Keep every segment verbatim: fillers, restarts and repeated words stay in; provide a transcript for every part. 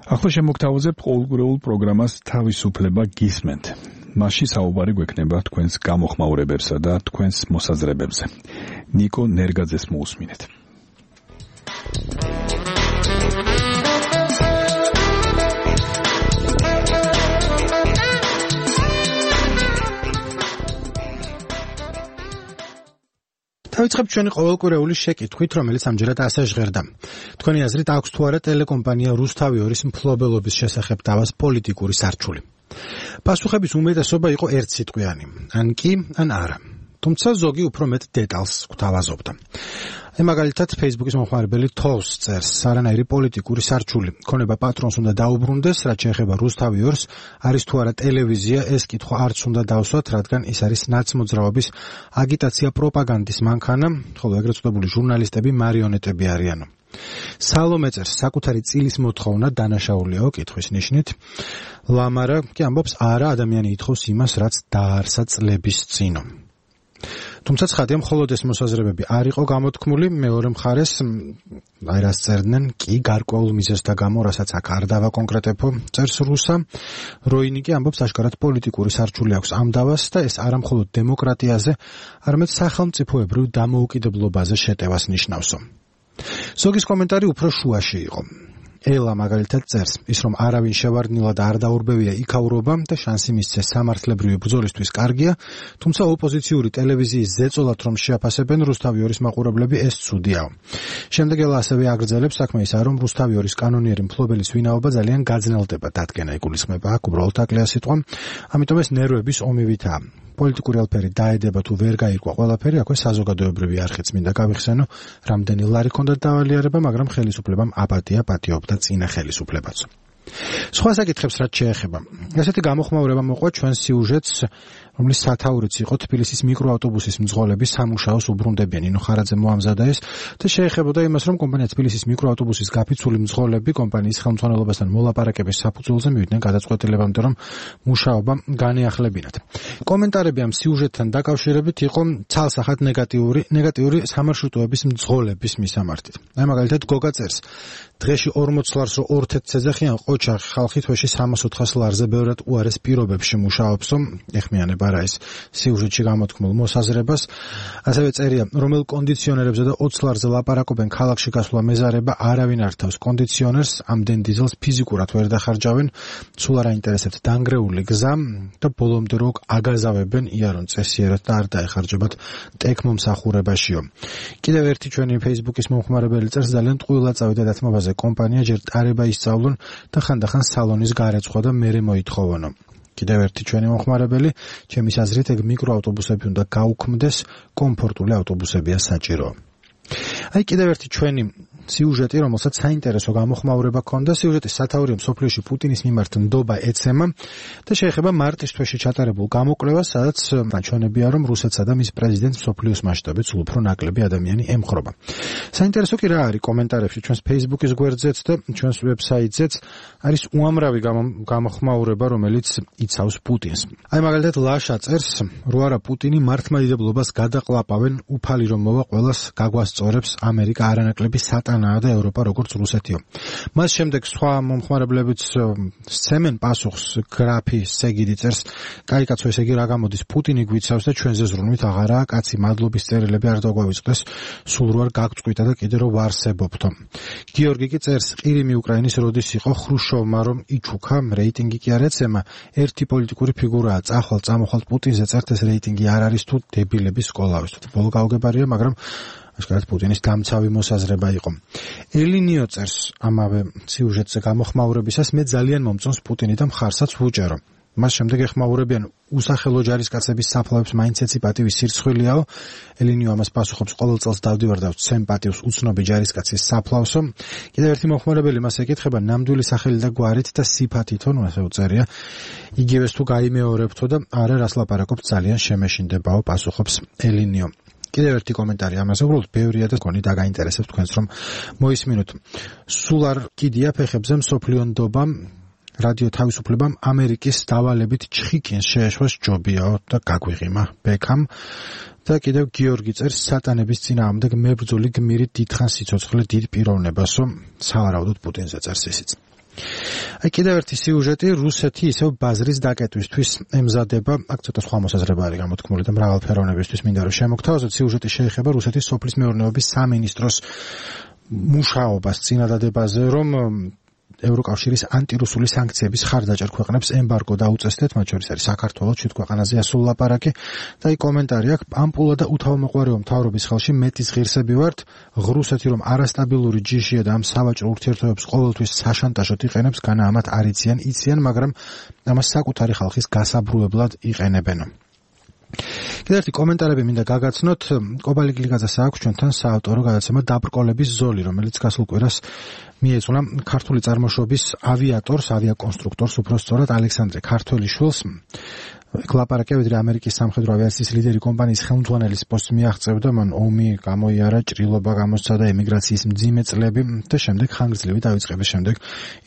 ახლა შემოგთავაზებთ ყოველკვირეულ პროგრამას თავისუფლება გისმენთ. მასში საუბარი გვექნება თქვენს გამოხმაურებებსა და თქვენს მოსაზრებებზე. ნიკო ნერგაძეს მოусმინეთ. დავიწყებთ ჩვენი ყოველკვირეული შეკითხვით, რომელიც ამჯერად ასე ჟღერდა. თქვენი აზრით აქვს თუ არა ტელეკომპანია რუსთავი ორის მფლობელობის შესახებ დავას პოლიტიკური სარჩული? პასუხების უმეტესობა იყო ერთსიტყვიანი, ან კი, ან არა. თუმცა ზოგი უფრო მეტ დეტალს გვთავაზობდა. აი მაგალითად Facebook-ის მომხმარებელი თოვს წერს, არანაირი პოლიტიკური სარჩული. ქონება პატრონს უნდა დაუბრუნდეს, რაც შეეხება რუსთავი ორს, არის თუ არა ტელევიზია, ეს კითხვა არც უნდა დავსვათ, რადგან ის არის ნაცმოძრაობის აგიტაცია პროპაგანდის მანქანა, ხოლო ეგრეთ წოდებული ჟურნალისტები მარიონეტები არიან. სალომე წერს, საკუთარი წილის მოთხოვნა დანაშაულიაო კითხვის ნიშნით. ლამარა კი ამბობს, არა, ადამიანი ითხოვს იმას, რაც დაარსა წლების წინო. თუმცა ცხადია, მხოლოდ ეს მოსაზრებები არ იყო გამოთქმული, მეორე მხარეს, აი რას წერდნენ, კი გარკვეულ მიზეზთა გამო, რასაც აქ არ დავაკონკრეტებო, წერს რუსა. როინი კი ამბობს, აშკარად პოლიტიკური სარჩული აქვს ამ დავას და ეს არა მხოლოდ დემოკრატიაზე, არამედ სახელმწიფოებრივ დამოუკიდებლობაზე შეტევას ნიშნავსო. ზოგის კომენტარი უფრო შუაში იყო. ელა მაგალითად წერს, ის რომ არავინ შევარდნილად არ დაურბევია იქაურობა და შანსი მისცეს სამართლებრივი ბრძოლისთვის კარგია, თუმცა ოპოზიციური ტელევიზიის ზეწოლად რომ შეაფასებენ რუსთავი ორის მაყურებლები, ეს ცუდიაო. შემდეგ ელა ასევე აგრძელებს, საქმე ისაა, რომ რუსთავი ორის კანონიერი მფლობელის ვინაობა ძალიან გაძნელდება, დადგენა იგულისხმება, აქ უბრალოდ აკლია სიტყვა, ამიტომ ეს ნერვების ომივითაა. პოლიტიკური ალფერი დაედება თუ ვერ გაირკვა ყველაფერი, აქვე საზოგადოებრივი არხიც მინდა გავიხსენო, რამდენი ლარი ჰქონდა დავალიერება, მაგრამ ხელისუფლებამ აპატია პატიობდა წინა ხელისუფლებაც. სხვა საკითხებს რაც შეეხება. ესეთი გამოხმაურება მოყვა ჩვენ სიუჟეტს, რომლის სათაურიც იყო თბილისის მიკროავტობუსის მძღოლების სამუშაოს უბრუნდებიან. ინო ხარაძე მოამზადა ეს და შეეხებოდა იმას, რომ კომპანია თბილისის მიკროავტობუსის გაფიცული მძღოლები კომპანიის ხელმძღვანელობასთან მოლაპარაკების საფუძველზე მივიდნენ გადაწყვეტილებამდე, რომ მუშაობა განეახლებინათ. კომენტარები ამ სიუჟეტთან დაკავშირებით იყო ცალსახად ნეგატიური, ნეგატიური სამარშრუტოების მძღოლების მისამართით. აი მაგალითად გოგა წერს, დღეში ორმოც ლარს რო ორ-თერთს ეძახიან ყოჩახი ხალხი თვეში სამას ოთხას ლარზე ბევრად უარეს პირობებში მუშაობსო, ეხმიანება რა ეს სიუჟეტში გამოთქმულ მოსაზრებას. ასევე წერია, რომელ კონდიციონერებზე და ოცს ლარზე ლაპარაკობენ ქალაქში გასვლა მეზარება, არავინ არ თავს კონდიციონერს, ამდენ დიზელს ფიზიკურად ვერ დახარჯავენ, სულ არ აინტერესებთ დანგრეული გზა და ბოლომდე რო აგაზავებენ იარონ წესიერად და არ დაეხარჯებათ ტექმომსახურებაშიო. კიდევ ერთი ჩვენი Facebook-ის მომხმარებელი წერს, ძალიან ტყუილა წავიდა დათმობაზე კომპანია, ჯერ ტარება ისწავლონ და ხანდახან სალონის გარეცხვა და მერე მოითხოვონო. კიდევ ერთი ჩვენი მომხმარებელი, ჩემის აზრით ეგ მიკროავტობუსები უნდა გაუქმდეს, კომფორტული ავტობუსებია საჭირო. აი კიდევ ერთი ჩვენი სიუჟეტი, რომელსაც საინტერესო გამოხმაურება ჰქონდა, სიუჟეტის სათაურია მსოფლიოში პუტინის მიმართ ნდობა ეცემა და შეეხება მარტის თვეში ჩატარებულ გამოკვლევას, სადაც ნაჩვენებია, რომ რუსეთსა და მის პრეზიდენტს მსოფლიოს მასშტაბით სულ უფრო ნაკლები ადამიანი ემხრობა. საინტერესო კი რა არის კომენტარებში ჩვენს Facebook-ის გვერდზეც და ჩვენს ვებსაიტზეც არის უამრავი გამოხმაურება, რომელიც იცავს პუტინს. აი მაგალითად ლაშა წერს, რო არა პუტინი მართლმადიდებლობას გადაყლაპავენ, უფალი რომ მოვა ყველას გაგვასწორებს, ამერიკა არანაკლები სატანაა და ევროპა როგორც რუსეთიო. მას შემდეგ სხვა მომხმარებლებიც სცემენ პასუხს, გრაფი სეგიდი წერს, კაი კაცო, ესე იგი რა გამოდის, პუტინი გვიცავს და ჩვენზე ზრუნვით აღარაა კაცი, მადლობის წერილები არ დაგვაიწყდეს, სულ რო არ გაგწყვიტა და კიდე რო ვარსებობთო. გიორგი კი წერს, ყირიმი უკრაინის როდის იყო ხრუშოვმა რომ იჩუქა, რეიტინგი კი არ ეცემა, ერთი პოლიტიკური ფიგურაა, წახვალ წამოხვალ პუტინზე წერთ, ეს რეიტინგი არ არის თუ დებილების სკოლავის, თუ ბოლო გავგებარია, მაგრამ აშკარად პუტინის დამცავი მოსაზრება იყო. ელინიო წერს ამავე სიუჟეტზე გამოხმაურებისას, მე ძალიან მომწონს პუტინი და მხარსაც ვუჭერო. მას შემდეგ ეხმაურებიან უსახელო ჯარისკაცების საფლავებს, მაინც ეცი პატივის სირცხვილიაო. ელინიო ამას პასუხობს, ყოველ წელს დავდივარ და ვცემ პატივს უცნობი ჯარისკაცის საფლავსო. კიდევ ერთი მომხმარებელი მას ეკითხება, ნამდვილი სახელი და გვარით და სიფათითო, ნუ ასე უწერია, იგივეს თუ გაიმეორებთო და არა რას ლაპარაკობთ, ძალიან შემეშინდებაო, პასუხობს ელინიო. კიდევ ერთი კომენტარი ამაზე, უბრალოდ ბევრია და გონი დაგაინტერესებს თქვენს რომ მოისმინოთ. სულ არ კიდია ფეხებზე მსოფლიო ნდობა, რადიო თავისუფლებამ ამერიკის დავალებით ჩხიკინს შეეშვას ჯობიაო და გაგვიღიმა ბექამ. და კიდევ გიორგი წერს, სატანების წინააღმდეგ მებრძოლი გმირი დიდხანს სიცოცხლე დიდ პიროვნებასო, სავარაუდოდ პუტინზე წერს ისიც. აი კიდევ ერთი სიუჟეტი რუსეთი ისევ ბაზრის დაკეტვისთვის ემზადება, აქ ცოტა სხვა მოსაზრება არის გამოთქმული და მრავალფეროვნებისთვის მინდა რომ შემოგთავაზოთ. სიუჟეტი შეეხება რუსეთის სოფლის მეურნეობის სამინისტროს მუშაობას წინადადებაზე, რომ ევროკავშირის ანტირუსული სანქციების ხარდაჭერ ქვეყნებს ემბარგო დაუწესდეთ, მათ შორის არის საქართველო, ჩვით ქვეყანაზე ასულ ლაპარაკი და აი კომენტარი აქვს, ამპულა და უთავმოყვარეო მთავრობის ხელში მეტის ღირსები ვართ, რუსეთი რომ არასტაბილური ჯიშია და ამ სავაჭრო ურთიერთობებს ყოველთვის საშანტაჟოდ იყენებს, განა ამათ არ იციან, იციან, მაგრამ ამას საკუთარი ხალხის გასაბრუებლად იყენებენ. კიდევ ერთი კომენტარები მინდა გაგაცნოთ. კობალი გლიკაძეს აქვს ჩვენთან საავტორო გადაცემა დაბრკოლების ზოლი, რომელიც გასულ კვირას მიეძღვნა ქართული წარმოშობის ავიატორს, ავიაკონსტრუქტორს, უფრო სწორად ალექსანდრე ქართველიშვილს. კლაპარაკია ვიდრე ამერიკის სამხედრო ავიაციის ლიდერი კომპანიის ხელმძღვანელის პოსტს მიაღწევდა, მან ომი გამოიარა, ჭრილობა გამოსცა და ემიგრაციის მძიმე წლები და შემდეგ ხანგრძლივი დაიწყების შემდეგ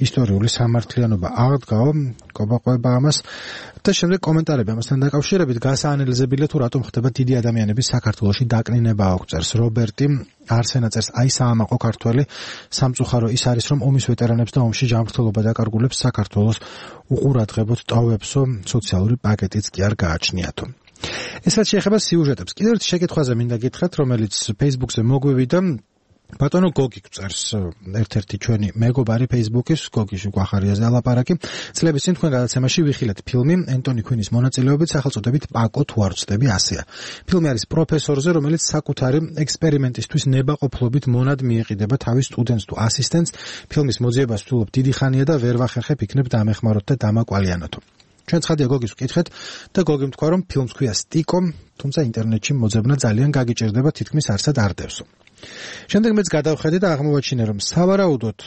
ისტორიული სამართლიანობა აღდგაო, კობაყვება ამას და შემდეგ კომენტარები ამასთან დაკავშირებით გასაანალიზებელია თუ რატომ ხდება დიდი ადამიანების საქართველოში დაკნინება აქვს წერს რობერტი არსენა წერს აი საამაყო ქართველი სამწუხარო ის არის რომ ომის ვეტერანებს და ომში ჯანმრთელობა დაკარგულებს საქართველოს უყურადღებოდ ტოვებსო სოციალური პაკეტიც კი არ გააჩნიათო. ეს რაც შეეხება სიუჟეტებს, კიდევ ერთი შეკითხვაზე მინდა გითხრათ, რომელიც Facebook-ზე მოგვივიდა. ბატონო გოგი წერს ერთ-ერთი ჩვენი მეგობარი Facebook-ის, გოგის უყახარიაზე ალაპარაკი. წლების წინ თქვენ გადაცემაში ვიხილეთ ფილმი ენტონი ქუინის მონაწილეობით სახელწოდებით პაკო თუ არ ვწდები ასეა. ფილმი არის პროფესორზე, რომელიც საკუთარი ექსპერიმენტისთვის ნებაყოფლობით მონად მიეყიდება თავის სტუდენტს თუ ასისტენტს. ფილმის მოძიებას ვთვლობ დიდი ხანია და ვერ ვახერხებ იქნებ დამეხმაროთ და დამაკვალიანოთო. ჩვენ ცხადია გოგის ვკითხეთ და გოგი თქვა რომ ფილმს ქვია სტიკო, თუმცა ინტერნეტში მოძებნა ძალიან გაგიჭირდება, თითქმის არსად არ დევსო. შემდეგ მეც გადავხედე და აღმოვაჩინე რომ სავარაუდოდ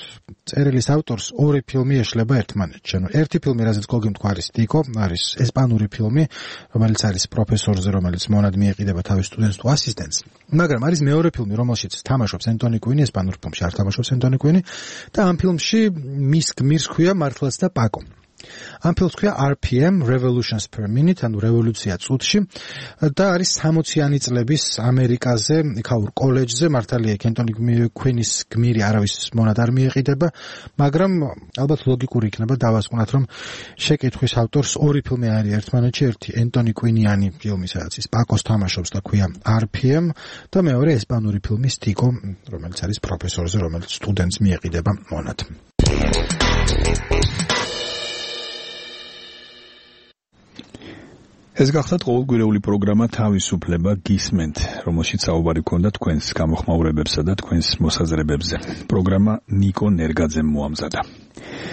წერილის ავტორს ორი ფილმი ეშლება ერთმანეთში. ანუ ერთი ფილმი, რაზეც გოგი თქვა არის სტიკო, არის ესპანური ფილმი, რომელიც არის პროფესორზე, რომელიც მონად მიეყიდება თავის სტუდენტს თუ ასისტენტს. მაგრამ არის მეორე ფილმი, რომელშიც თამაშობს ენტონი ქუინი, ესპანურ ფილმში არ თამაშობს ენტონი ქუინი და ამ ფილმში მის გმირს ქვია მართლაც და პაკო. ამ ფილმს ქვია R P M Revolutions per Minute, ანუ რევოლუცია წუთში და არის სამოციანი წლების ამერიკაზე, იქაურ კოლეჯზე, მართალია ენტონი ქუინის გმირი არავის მონად არ მიეყიდება, მაგრამ ალბათ ლოგიკური იქნება დავასკვნათ, რომ შეკითხვის ავტორს ორი ფილმი არის ერთმანეთში, ერთი ენტონი ქუინიანი ფილმი, სადაც ის პაკოს თამაშობს და ქვია R P M და მეორე ესპანური ფილმი სტიკო, რომელიც არის პროფესორზე, რომელიც სტუდენტს მიეყიდება მონად. ეს გახლავთ ყოველკვირეული პროგრამა თავისუფლება გისმენთ, რომელშიც საუბარი გქონდა თქვენს გამოხმაურებებსა და თქვენს მოსაზრებებზე. პროგრამა ნიკო ნერგაძემ მოამზადა.